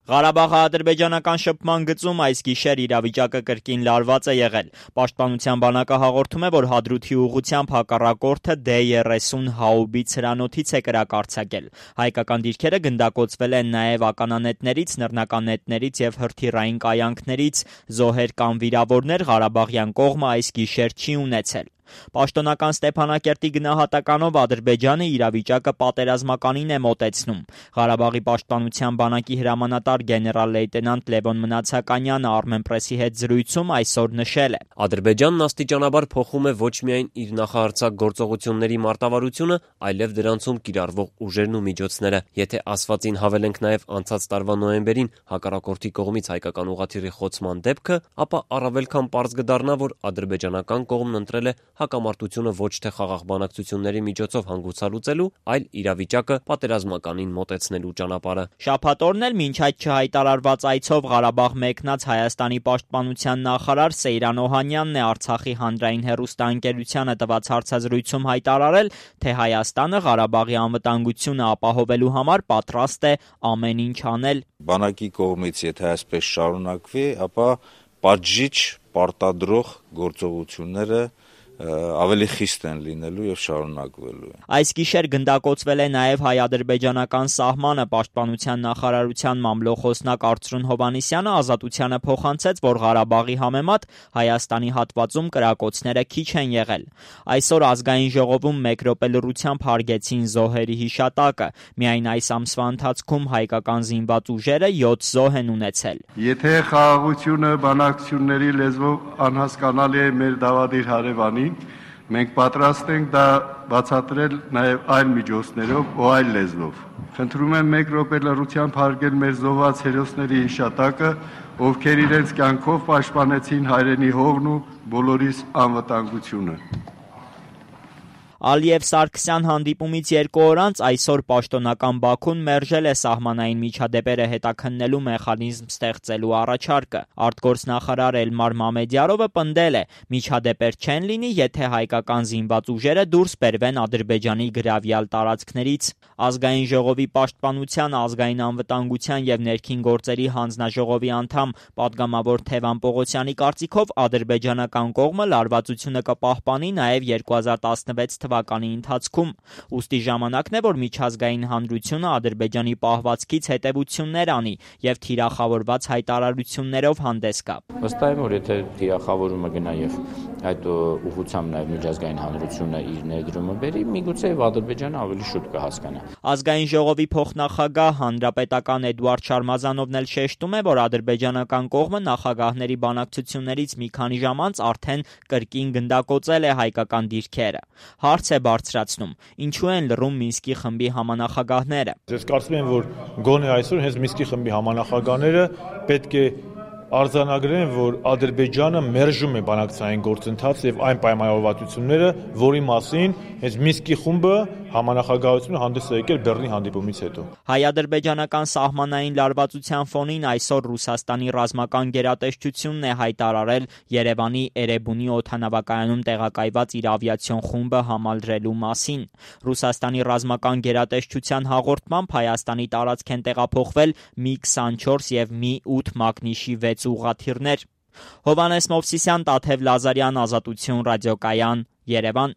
Ղարաբաղի-ադրբեջանական շփման գծում այս գիշեր իրավիճակը կրկին լարված է եղել։ Պաշտպանության բանակը հաղորդում է, որ Հադրութի ուղղությամբ հակառակորդը D-30 հաուբից հրանոթից է կրակ արձակել։ Հայկական դիրքերը գնդակոծվել են նաև ականանետներից, նռնականետներից և հրթիռային կայանքներից։ Զոհեր կամ վիրավորներ Ղարաբաղյան կողմը այս գիշեր չի ունեցել։ Պաշտոնական Ստեփանակերտի գնահատականով Ադրբեջանը իրավիճակը պատերազմականին է մոտեցնում։ Ղարաբաղի պաշտպանության բանակի հրամանատար գեներալ-լեյտենանտ Լևոն Մնացականյանը Armenpress-ի հետ զրույցում այսօր նշել է. Ադրբեջանն աստիճանաբար փոխում է ոչ միայն իր նախահարձակ գործողությունների մարտավարությունը, այլև դրանցում կիրառվող ուժերն ու միջոցները։ Եթե ասվածին հավելենք նաև անցած տարվա նոյեմբերին հակառակորդի կողմից հայկական ուղղաթիռի խոցման դեպքը, ապա առավել քան պարզ կդառնա, որ ադրբեջանական կողմն ընտրել է հակամարտությունը ոչ թե խաղաղ բանակցությունների միջոցով հանգուցալուծելու, այլ իրավիճակը պատերազմականին մոտեցնելու ճանապարհը։ Շաբաթ օրն էլ մինչ այդ չհայտարարված այցով Ղարաբաղ մեկնած Հայաստանի պաշտպանության նախարար Սեյրան Օհանյանն է Արցախի հանրային հեռուստաընկերությանը տված հարցազրույցում հայտարարել, թե Հայաստանը Ղարաբաղի անվտանգությունը ապահովելու համար պատրաստ է ամեն ինչ անել։ Բանակի կողմից եթե այսպես շարունակվի, ապա պատժիչ, պարտադրող գործողությունները ավելի խիստ են լինելու եւ շարունակվելու են։ Այս գիշեր գնդակոծվել է նաև հայ-ադրբեջանական սահմանը։ Պաշտպանության նախարարության մամլոխոսնակ Արծրուն Հովհաննիսյանը Ազատությանը փոխանցեց, որ Ղարաբաղի համեմատ Հայաստանի հատվածում կրակոցները քիչ են եղել։ Այսօր ազգային ժողովում մեկ րոպե լռությամբ հարգեցին զոհերի հիշատակը։ Միայն այս ամսվա ընթացքում հայկական զինված ուժերը 7 զոհ են ունեցել։ Եթե խաղաղությունը բանակցությունների լեզվով անհասկանալի է մեր դավադիր հարևանին, մենք պատրաստ ենք դա բացատրել նաև այլ միջոցներով ու այլ լեզվով։ Խնդրում եմ մեկ րոպե լռությամբ հարգել մեր զոհված հերոսների հիշատակը, ովքեր իրենց կյանքով պաշտպանեցին հայրենի հողն ու բոլորիս անվտանգությունը։ Ալիև Սարգսյան հանդիպումից 2 օր անց այսօր պաշտոնական Բաքուն մերժել է սահմանային միջադեպերը հետաքննելու մեխանիզմ ստեղծելու առաջարկը։ Արտգործնախարար Էլմար Մամեդյարովը պնդել է, միջադեպեր չեն լինի, եթե հայկական զինված ուժերը դուրս բերվեն Ադրբեջանի գրավյալ տարածքներից։ Ազգային ժողովի պաշտպանության, ազգային անվտանգության եւ ներքին գործերի հանձնաժողովի անդամ պատգամավոր Թևան Պողոսյանի կարծիքով ադրբեջանական կողմը լարվածությունը կպահպանի նաեւ 2016 թվականի ընթացքում։ Ուստի ժամանակն է, որ միջազգային հանրությունը Ադրբեջանի պահվածքից հետևություններ անի եւ թիրախավորված հայտարարություններով հանդես գա։ Վստահ եմ, որ եթե թիրախավորումը գնա եւ այդ ուղղությամբ նաեւ միջազգային հանրությունը իր ներդրումը բերի, միգուցե եւ Ադրբեջանը ավելի շուտ կհասկանա։ Ազգային ժողովի փոխնախագահ հանրապետական Էդուարդ Շարմազանովն էլ շեշտում է, որ ադրբեջանական կողմը նախագահների բանակցություններից մի քանի ժամ անց արդեն կրկին գնդակոծել է հայկական դիրքերը։ Հարց է բարձրացնում. ինչու են լռում Մինսկի խմբի համանախագահները։ Ես կարծում եմ, որ գոնե այսօր հենց Մինսկի խմբի համանախագահները պետք է արձանագրեն, որ Ադրբեջանը մերժում է բանակցային գործընթացը եւ այն պայմանավորվածությունները, որի մասին հենց Մինսկի խումբը համանախագահությունը հանդես է եկել Բեռլինի հանդիպումից հետո։ Հայ-ադրբեջանական սահմանային լարվածության ֆոնին այսօր Ռուսաստանի ռազմական գերատեսչությունն է հայտարարել Երևանի Էրեբունի օդանավակայանում տեղակայված իր ավիացիոն խումբը համալրելու մասին։ Ռուսաստանի ռազմական գերատեսչության հաղորդմամբ Հայաստանի տարածք են տեղափոխվել Mi-24 եւ Mi-8 մագնիշի 6 ուղղաթիռներ։ Հովհաննես Մովսիսյան, Տաթև Լազարյան, Ազատություն ռադիոկայան, Երևան։